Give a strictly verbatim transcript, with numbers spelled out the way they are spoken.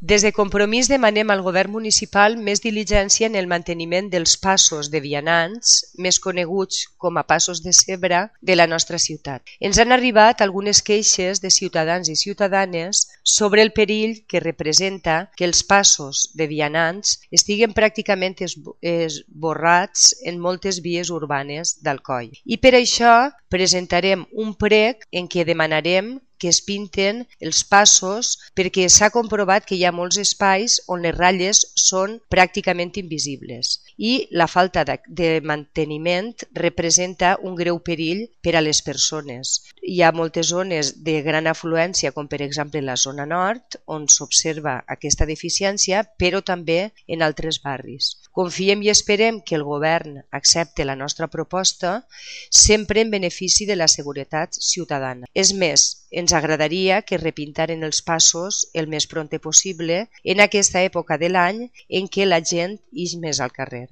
Des de Compromís demanem al govern municipal més diligència en el manteniment dels passos de vianants, més coneguts com a passos de zebra, de la nostra ciutat. Ens han arribat algunes queixes de ciutadans i ciutadanes sobre el perill que representa que els passos de vianants estiguen pràcticament esborrats en moltes vies urbanes d'Alcoi. I per això presentarem un prec en què demanarem que es pinten els passos perquè s'ha comprovat que hi ha molts espais on les ratlles són pràcticament invisibles i la falta de manteniment representa un greu perill per a les persones. Hi ha moltes zones de gran afluència, com per exemple la zona nord, on s'observa aquesta deficiència, però també en altres barris. Confiem i esperem que el govern accepti la nostra proposta, sempre en benefici de la seguretat ciutadana. És més, ens agradaria que repintaren els passos el més prompte possible en aquesta època de l'any en què la gent ix més al carrer.